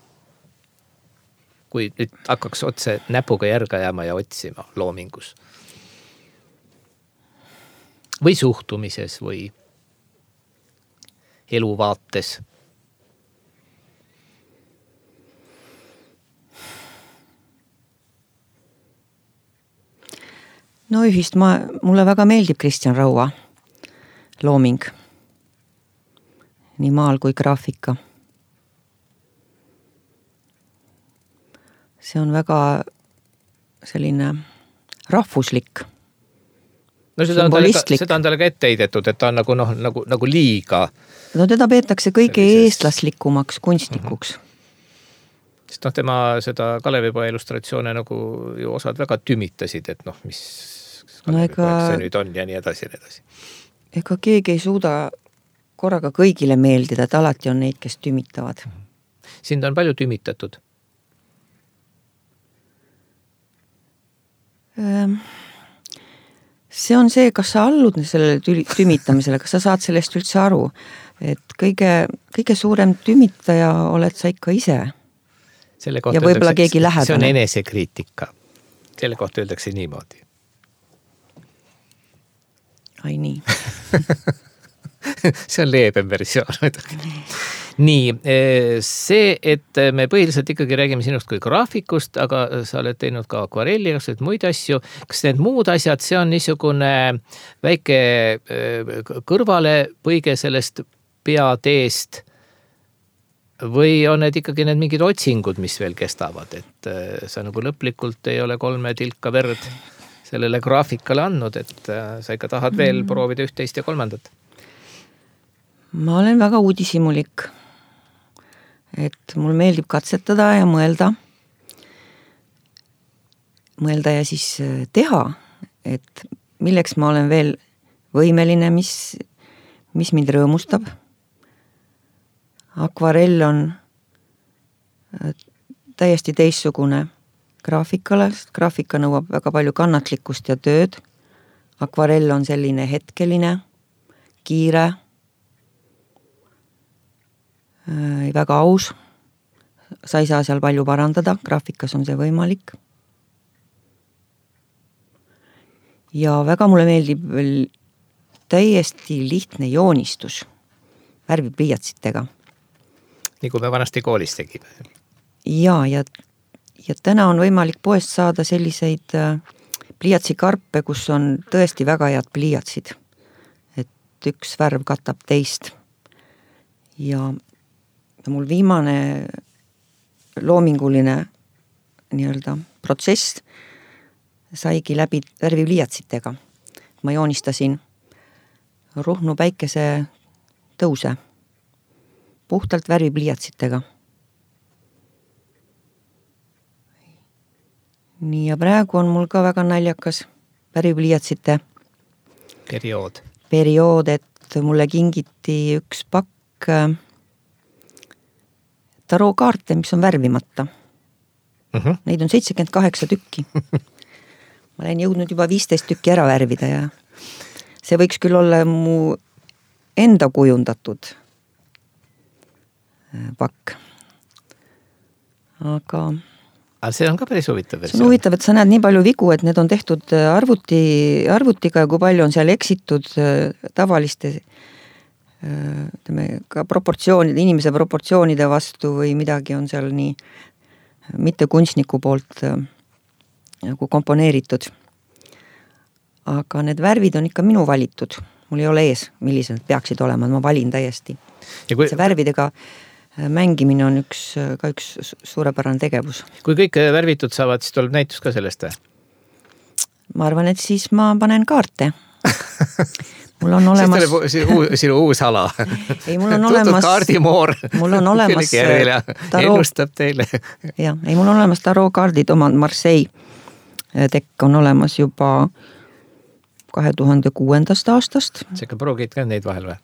Kui nüüd hakkaks otse näpuga järga jääma ja otsima loomingus? Või suhtumises või eluvaates? No ühist, ma, mulle väga meeldib Kristjan Raua looming. Nii maal kui graafika. See on väga selline rahvuslik no seda on, talle ka, seda on talle ka ette heidetud, et ta on nagu, noh, nagu, nagu liiga. No teda peetakse kõige eestlaslikumaks kunstnikuks. Mm-hmm. Sest noh, tema seda Kalevipoja illustratsioone nagu ju osad väga tümitasid, et noh, mis Kalevipoja no ega... see nüüd on ja nii edasi ja nii edasi. Ega keegi ei suuda korraga kõigile meeldida, et alati on neid, kes tümitavad. Sind on palju tümitatud? See on see, kas sa allud sellele tümitamisele, kas sa saad sellest üldse aru, et kõige, kõige suurem tümitaja oled sa ikka ise. Selle kohta ja võib-olla keegi lähedane. See on enesekriitika. Selle kohta öeldakse niimoodi. Ai nii. See on leebem versioon. Nii, see, et me põhiliselt ikkagi räägime sinust kui graafikust, aga sa oled teinud ka akvarelli, kas oled muid asju. Kas need muud asjad, see on niisugune väike kõrvale põige sellest peateest või on need ikkagi need mingid otsingud, mis veel kestavad, et sa nagu lõplikult ei ole kolme tilka verd sellele graafikale andnud, et sa ikka tahad veel proovida üht, teist ja kolmandat? Ma olen väga uudishimulik. Et mul meeldib katsetada ja mõelda. Mõelda ja siis teha, et milleks ma olen veel võimeline, mis, mis mind rõõmustab. Akvarell on täiesti teistsugune graafikale, sest graafika nõuab väga palju kannatlikkust ja tööd. Akvarell on selline hetkeline, kiire, väga aus, sa ei saa seal palju parandada, graafikas on see võimalik. Ja väga mulle meeldib veel täiesti lihtne joonistus värvipliiatsitega. Nii kui me vanasti koolis tegime. Ja, ja, ja täna on võimalik poest saada selliseid pliiatsikarpe, kus on tõesti väga head pliiatsid. Et üks värv katab teist. Ja Ja mul viimane loominguline nii-öelda protsess saigi läbi värvipliiatsitega. Ma joonistasin Ruhnu päikese tõuse puhtalt värvipliiatsitega. Nii ja praegu on mul ka väga naljakas värvipliiatsite periood. periood, et mulle kingiti üks pakk tarookaarte, mis on värvimata. Uh-huh. Neid on seitsekümmend kaheksa tükki. Ma olen jõudnud juba viisteist tükki ära värvida ja see võiks küll olla mu enda kujundatud pakk. Aga... Aga see on ka päris huvitav versioon. See on huvitav, et sa näed nii palju vigu, et need on tehtud arvuti, arvutiga ja kui palju on seal eksitud tavaliste ka proportsioonide, inimese proportsioonide vastu või midagi on seal nii mitte kunstniku poolt nagu komponeeritud. Aga need värvid on ikka minu valitud. Mul ei ole ees, millised peaksid olema, ma valin täiesti. Kui... See värvidega mängimine on üks, ka üks suurepärane tegevus. Kui kõik värvitud saavad, siis tuleb näitus ka sellest? Ma arvan, et siis ma panen kaarte. Mul on olemas... Siis tuleb sinu uus ala. Ei, mul on olemas... kaardimoor. Mul on olemas... Taroo... Ennustab teile. Ja, ei, mul on olemas tarokaardid, oma Marseille tekk on olemas juba kahe tuhande kuuendast aastast. Seega proogid ka neid vahel või?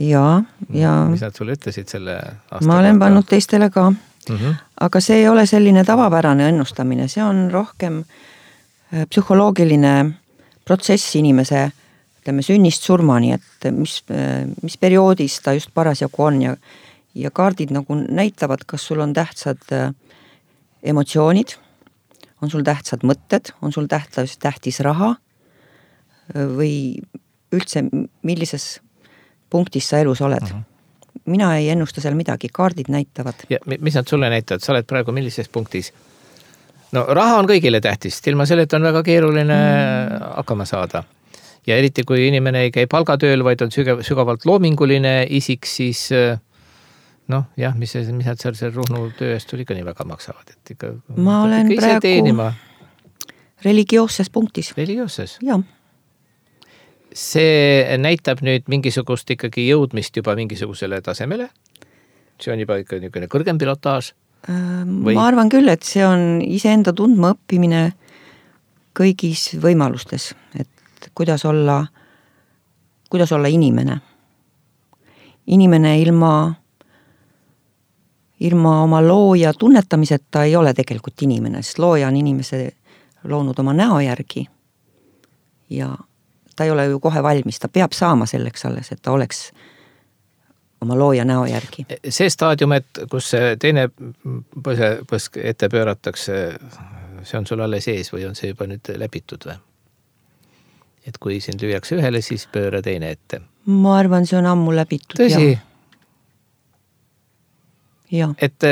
Ja, ja... Mis nad sulle ütlesid selle aasta? Ma olen pannud teistele ka. Mm-hmm. Aga see ei ole selline tavapärane ennustamine. See on rohkem psühholoogiline protsess inimese ütleme, sünnist surmani, et mis, mis perioodis ta just parasjagu on ja, ja kaardid nagu näitavad, kas sul on tähtsad emotsioonid, on sul tähtsad mõtted, on sul tähtis, tähtis raha või üldse millises punktis sa elus oled. Uh-huh. Mina ei ennusta seal midagi, kaardid näitavad. Ja mis nad sulle näitavad? Sa oled praegu millises punktis? No raha on kõigile tähtis, ilma selleta on väga keeruline mm. hakkama saada. Ja eriti kui inimene ei käi palgatööl, vaid on sügavalt loominguline isik, siis noh, jah, mis, mis nad seal see Ruhnu töö eest tuli ka nii väga maksavad. Et ikka, ma olen praegu teenima. Religioosses punktis. Religioosses? Jah. see näitab nüüd mingisugust ikkagi jõudmist juba mingisugusele tasemele? See on juba ikka niisugune kõrgem pilotaaž? Või? Ma arvan küll, et see on iseenda tundma õppimine kõigis võimalustes, et kuidas olla, kuidas olla inimene. Inimene ilma, ilma oma looja tunnetamiseta ei ole tegelikult inimene, sest looja on inimese loonud oma näo järgi ja ta ei ole ju kohe valmis, ta peab saama selleks alles, et ta oleks oma looja näo järgi. See staadium, et kus see teine põsk ette pööratakse, see on sul alles ees või on see juba nüüd läbitud või? Et kui sind lüüakse ühele, siis pööra teine ette. Ma arvan, see on ammu läbitud. Tõsi? Ja. Et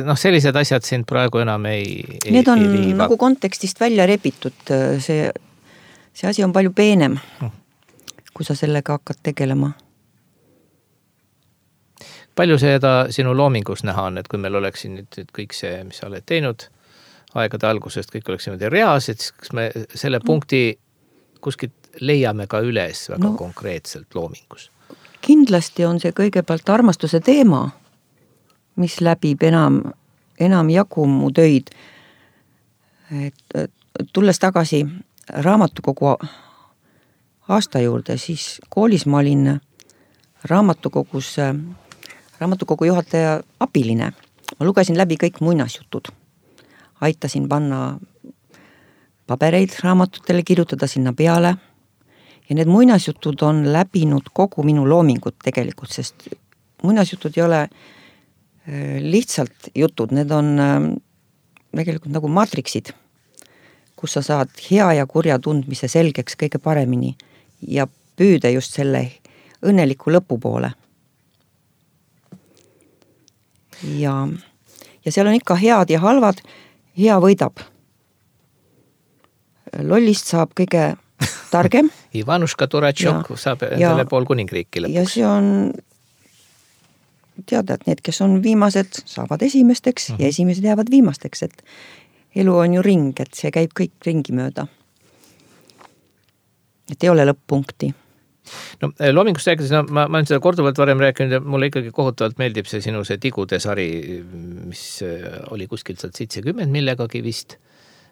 noh, sellised asjad sind praegu enam ei, ei Need on ei nagu kontekstist välja rebitud, see, see asi on palju peenem, kui sa sellega hakkad tegelema. Palju seda sinu loomingus näha on, et kui meil oleks nüüd kõik see, mis sa oled teinud aegade algusest, kõik oleks niimoodi reaalsed, siis kas me selle punkti kuskilt leiame ka üles väga no, konkreetselt loomingus? Kindlasti on see kõigepealt armastuse teema, mis läbib enam, enam jagu mu töid. Et tulles tagasi raamatukogu aasta juurde, siis koolis ma olin raamatukogus, raamatukogu juhataja abiline. Ma lugesin läbi kõik muinasjutud. Aitasin panna pabereid raamatutele, kirjutada sinna peale. Ja need muinasjutud on läbinud kogu minu loomingut tegelikult, sest muinasjutud ei ole lihtsalt jutud, need on tegelikult nagu maatriksid, kus sa saad hea ja kurja tundmise selgeks kõige paremini ja püüda just selle õnneliku lõpu poole. Ja, ja seal on ikka head ja halvad, hea võidab. Lollist saab kõige targem. Ivanuška Turatšok saab endale pool kuningriiki lõpuks. Ja see on teada, et need, kes on viimased, saavad esimesteks uh-huh. ja esimesed jäävad viimasteks, et elu on ju ring, et see käib kõik ringi mööda. Et ei ole lõpp-punkti. No loomingust rääkides, no, ma, ma olen seda korduvalt varem rääkinud ja mulle ikkagi kohutavalt meeldib see sinu see tigude sari, mis oli kuskilt sealt seitsekümmend millegagi vist,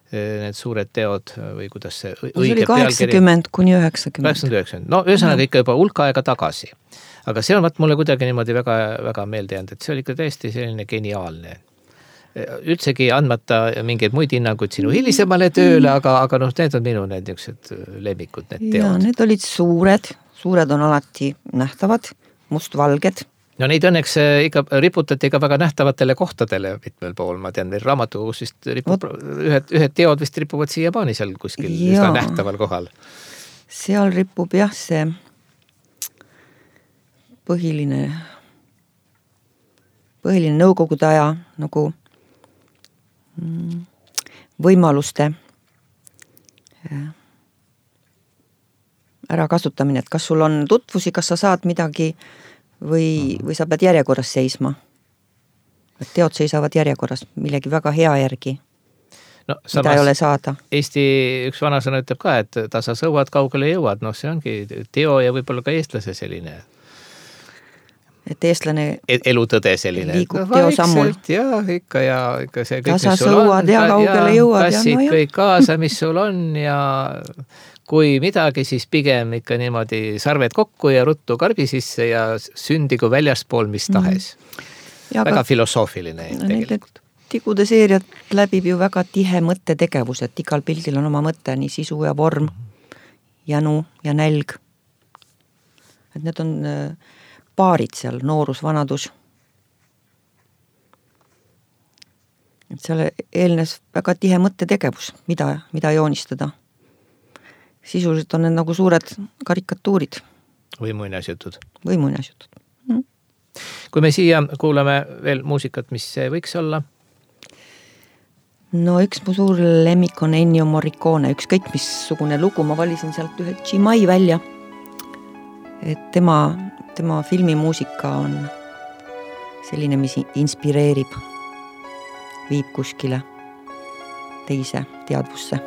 need suured teod või kuidas see õige pealkiri. See oli kaheksakümmend kuni üheksakümmend. kaheksakümmend üheksakümmend. No ühesõnaga ikka juba hulka aega tagasi. Aga see on vaat mulle kuidagi niimoodi väga, väga meelde jäänud, et see oli ikka täiesti selline geniaalne. Üldsegi andmata mingeid muid hinnanguid sinu hilisemale tööle, aga, aga noh, need on minu need niisugused lemmikud, need teod. Ja, need olid suured, suured on alati nähtavad, mustvalged. No neid õnneks ikka riputati ka väga nähtavatele kohtadele mitmel pool, ma tean, meil raamatukogus vist ripub, ühed, ühed teod vist ripuvad siiamaani seal kuskil ja, üsna nähtaval kohal. Seal ripub jah see põhiline, põhiline nõukogude aja nagu võimaluste ära kasutamine, et kas sul on tutvusi, kas sa saad midagi või, või sa pead järjekorras seisma. Et teod seisavad järjekorras millegi väga hea järgi, no, mida ei ole saada. Eesti üks vanasõna ütleb ka, et tasa sõuad, kaugele jõuad, noh see ongi teo ja võib-olla ka eestlase selline et eestlane elutõde selline liigub no, teo sammul. Ja ikka ja ikka see kõik, tasa sõuad ja kaugele jõuad. Kassid no, kõik kaasa, mis sul on ja kui midagi, siis pigem ikka niimoodi sarved kokku ja ruttu karbi sisse ja sündigu väljaspool mis tahes. Mm. Väga ka, filosoofiline tegelikult. Tigude seeriat läbib ju väga tihe mõttetegevus, et igal pildil on oma mõte, nii sisu ja vorm, jänu ja nälg. Et need on paarid seal, noorus, vanadus. Et seal eelnes väga tihe mõttetegevus, mida, mida joonistada. Sisuliselt on need nagu suured karikatuurid. Või muinasjutud. Või muinasjutud. Mm. Kui me siia kuulame veel muusikat, mis see võiks olla? No üks mu suur lemmik on Ennio Morricone, ükskõik missugune lugu, ma valisin sealt ühe Chimay välja. Et tema, tema filmimuusika on selline, mis inspireerib, viib kuskile teise teadvusse.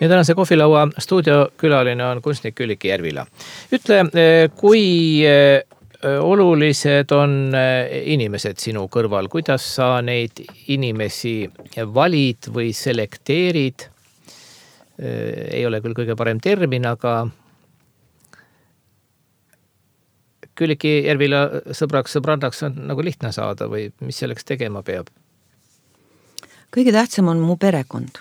ja tänase kohvilaua stuudiokülaline on kunstnik Külliki Järvila. Ütle, kui olulised on inimesed sinu kõrval, kuidas sa neid inimesi valid või selekteerid? Ei ole küll kõige parem termin, aga Külliki Järvila sõbraks, sõbrannaks on nagu lihtne saada või mis selleks tegema peab? Kõige tähtsam on mu perekond.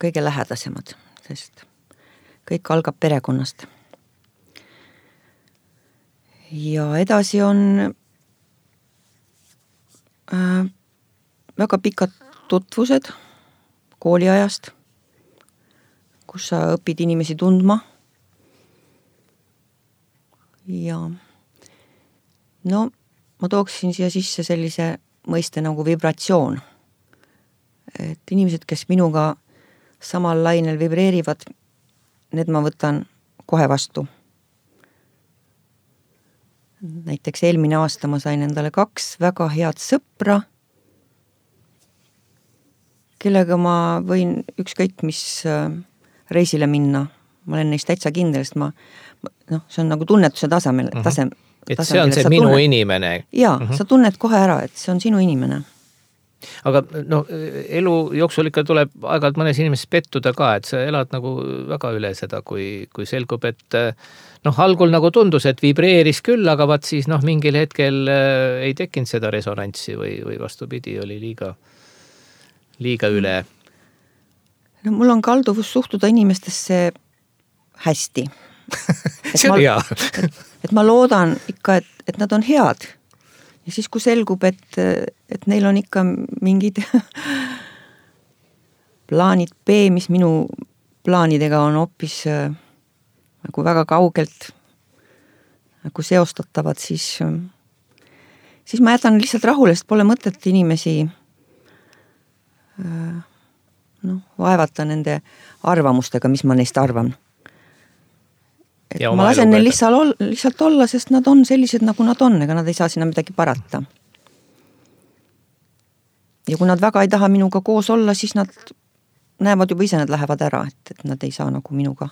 Kõige lähedasemad, sest kõik algab perekonnast. Ja edasi on äh, väga pikad tutvused kooliajast, kus sa õpid inimesi tundma. Ja no ma tooksin siia sisse sellise mõiste nagu vibratsioon. Et inimesed, kes minuga samal lainel vibreerivad, need ma võtan kohe vastu. Näiteks eelmine aasta ma sain endale kaks väga head sõpra, kellega ma võin ükskõik mis reisile minna. Ma olen neist täitsa kindel, sest ma, noh, see on nagu tunnetuse tasemel. Mm-hmm. Tasem, et see on see minu tunned, inimene. Jaa, mm-hmm. Sa tunned kohe ära, et see on sinu inimene. Aga no, elu jooksul ikka tuleb aeg-ajalt mõnes inimesest pettuda ka, et sa elad nagu väga üle seda, kui, kui selgub, et noh, algul nagu tundus, et vibreeris küll, aga vaat siis noh, mingil hetkel ei tekkinud seda resonantsi või, või vastupidi, oli liiga, liiga üle. No, mul on kalduvus suhtuda inimestesse hästi. see on hea. et, et ma loodan ikka, et, et nad on head. Ja siis kui selgub, et, et neil on ikka mingid plaanid B, mis minu plaanidega on hoopis nagu väga kaugelt nagu seostatavad, siis, siis ma jätan lihtsalt rahule, sest pole mõtet inimesi noh, vaevata nende arvamustega, mis ma neist arvan. Et ma lasen neil lihtsalt, lihtsalt olla, sest nad on sellised, nagu nad on, ega nad ei saa sinna midagi parata. Ja kui nad väga ei taha minuga koos olla, siis nad näevad juba ise, nad lähevad ära, et, et nad ei saa nagu minuga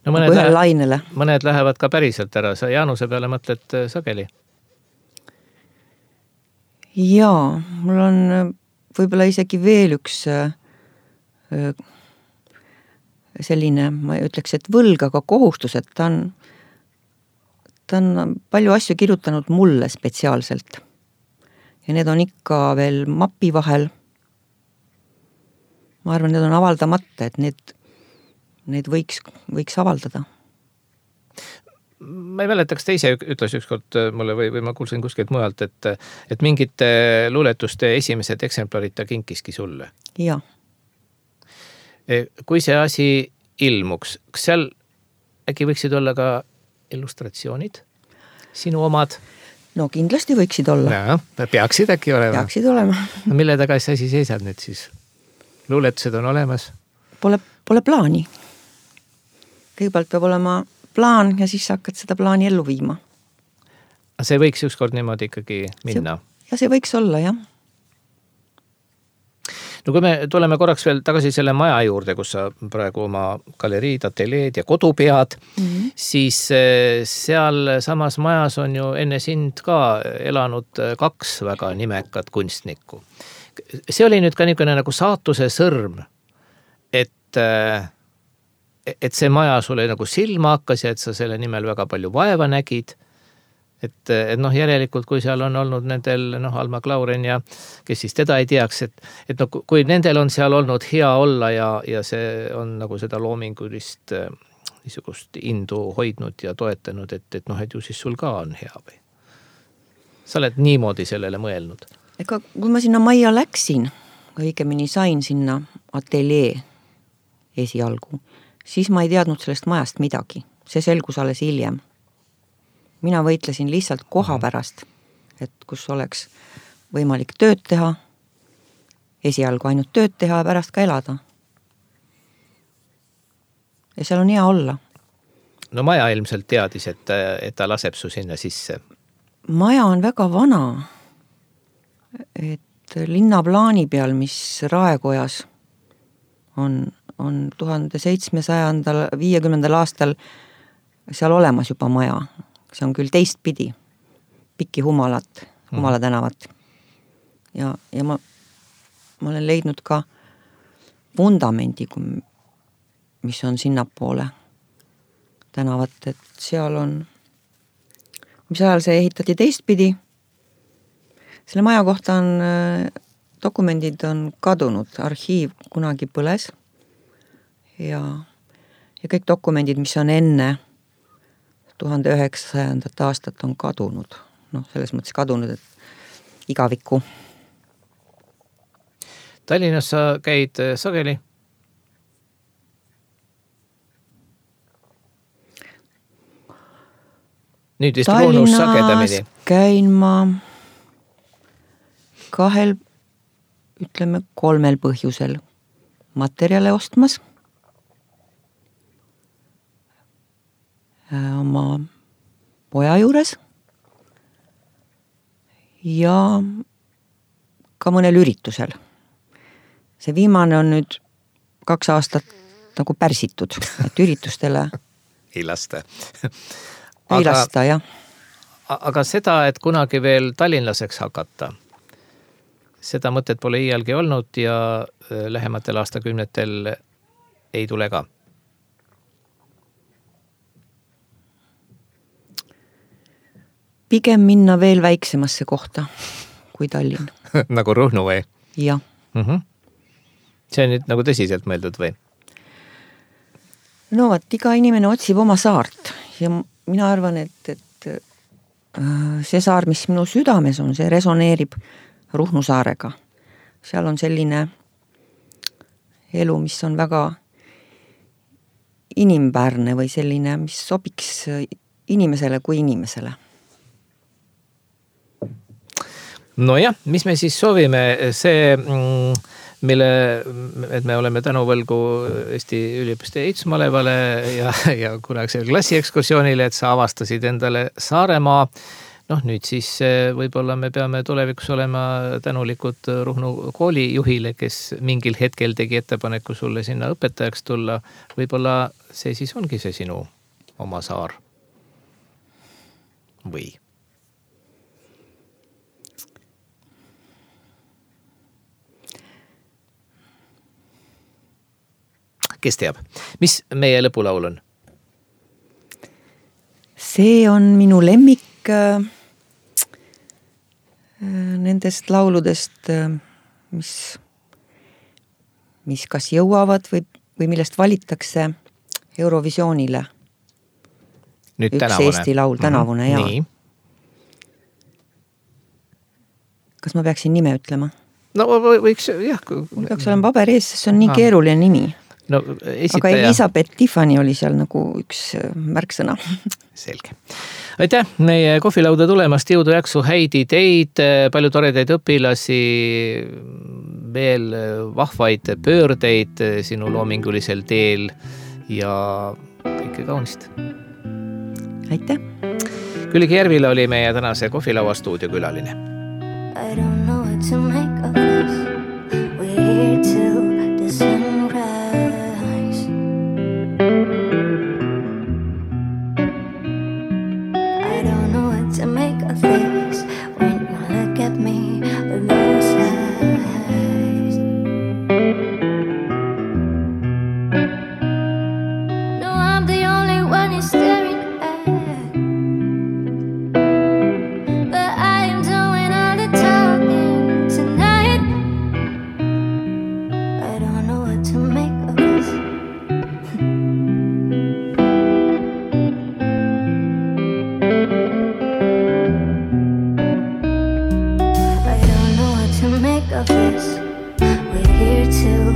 no mõned, nagu lainele. Mõned lähevad ka päriselt ära, sa Jaanuse peale mõtled sageli? Jaa, mul on võib-olla isegi veel üks selline, ma ütleks, et võlg, aga kohustus, et ta on, ta on palju asju kirjutanud mulle spetsiaalselt. Ja need on ikka veel mapi vahel. Ma arvan, need on avaldamata, et need, need võiks, võiks avaldada. Ma ei mäleta, kas te ise ütles ükskord mulle või, või ma kuulsin kuskilt mujalt, et, et mingite luuletuste esimesed eksemplarid ta kinkiski sulle. Jaa. Kui see asi ilmuks, kas seal äkki võiksid olla ka illustratsioonid? Sinu omad? No kindlasti võiksid olla. No, peaksid äkki olema. Peaksid olema. No, mille taga see asi seisab nüüd siis? Luuletused on olemas? Pole, pole plaani. Kõigepealt peab olema plaan ja siis hakkad seda plaani ellu viima. See võiks ükskord niimoodi ikkagi minna? See, ja see võiks olla, jah. No kui me tuleme korraks veel tagasi selle maja juurde, kus sa praegu oma galeriid, ateleed ja kodu pead, mm-hmm. siis seal samas majas on ju enne sind ka elanud kaks väga nimekat kunstnikku. See oli nüüd ka niisugune nagu saatuse sõrm, et, et see maja sulle nagu silma hakkas ja et sa selle nimel väga palju vaeva nägid. Et, et noh, järelikult, kui seal on olnud nendel, noh, Alma Klauren ja kes siis teda ei teaks, et, et no, kui nendel on seal olnud hea olla ja, ja see on nagu seda loomingulist niisugust indu hoidnud ja toetanud, et, et noh, et ju siis sul ka on hea või? Sa oled niimoodi sellele mõelnud? Ega kui ma sinna majja läksin, õigemini sain sinna ateljee esialgu, siis ma ei teadnud sellest majast midagi. See selgus alles hiljem. Mina võitlesin lihtsalt koha pärast, et kus oleks võimalik tööd teha, esialgu ainult tööd teha ja pärast ka elada. Ja seal on hea olla. No maja ilmselt teadis, et, et ta laseb su sinna sisse. Maja on väga vana, et linnaplaani peal, mis Raekojas on, on tuhande seitsmesajandal viiekümnendal aastal seal olemas juba maja. See on küll teistpidi, Pikki Humalat, Humala tänavat. Ja, ja ma, ma olen leidnud ka vundamendi, mis on sinnapoole tänavat, et seal on, mis ajal see ehitati teistpidi. Selle maja kohta on, dokumendid on kadunud, arhiiv kunagi põles ja, ja kõik dokumendid, mis on enne tuhande üheksasajandat aastat on kadunud. Noh, selles mõttes kadunud, et igavikku. Tallinnas sa käid sageli? Nüüd vist Ruhnus sagedamini. Tallinnas käin ma kahel, ütleme kolmel põhjusel. Materjale ostmas, oma poja juures ja ka mõnel üritusel. See viimane on nüüd kaks aastat nagu pärsitud, et üritustele ei lasta. Aga, ei lasta, jah. Aga seda, et kunagi veel tallinlaseks hakata, seda mõtet pole iialgi olnud ja lähematel aastakümnetel ei tule ka. Pigem minna veel väiksemasse kohta kui Tallinn. Nagu Ruhnu või? Jah. Mm-hmm. See on nüüd nagu tõsiselt mõeldud või? No vaat, iga inimene otsib oma saart ja mina arvan, et, et see saar, mis minu südames on, see resoneerib Ruhnu saarega. Seal on selline elu, mis on väga inimväärne või selline, mis sobiks inimesele kui inimesele. No jah, mis me siis soovime, see, mille, et me oleme tänuvõlgu Eesti üliõpilaste ehitusmalevale ja, ja kunagisele klassiekskursioonile, et sa avastasid endale Saaremaa. Noh, nüüd siis võib-olla me peame tulevikus olema tänulikud Ruhnu koolijuhile, kes mingil hetkel tegi ettepaneku sulle sinna õpetajaks tulla. Võib-olla see siis ongi see sinu oma saar. Või? Kes teab? Mis meie lõpulaul on? See on minu lemmik äh, nendest lauludest, äh, mis, mis kas jõuavad või, või millest valittakse Eurovisioonile. Nüüd üks tänavune. Eesti laul, tänavune, mm-hmm. Nii. Kas ma peaksin nime ütlema? No võiks, jah. Mul peaks olema paber ees, sest see on nii ah. keeruline nimi. No, esitaja. Aga Elisabeth Tiffany oli seal nagu üks märksõna. Selge. Aitäh meie kohvilauda tulemast, jõudu jaksu häid ideid, palju toredaid õpilasi, veel vahvaid pöördeid sinu loomingulisel teel ja kõike kaunist. Aitäh. Külliki Järvila oli meie tänase kohvilaua stuudiokülaline. I don't know what to make of this. We're here till the sunrise. I don't know what to make of this. When you look at me with those eyes. No, I'm the only one you're staring at. But I am doing all the talking tonight. I don't know what to make of this. I don't know what to make of this. We're here till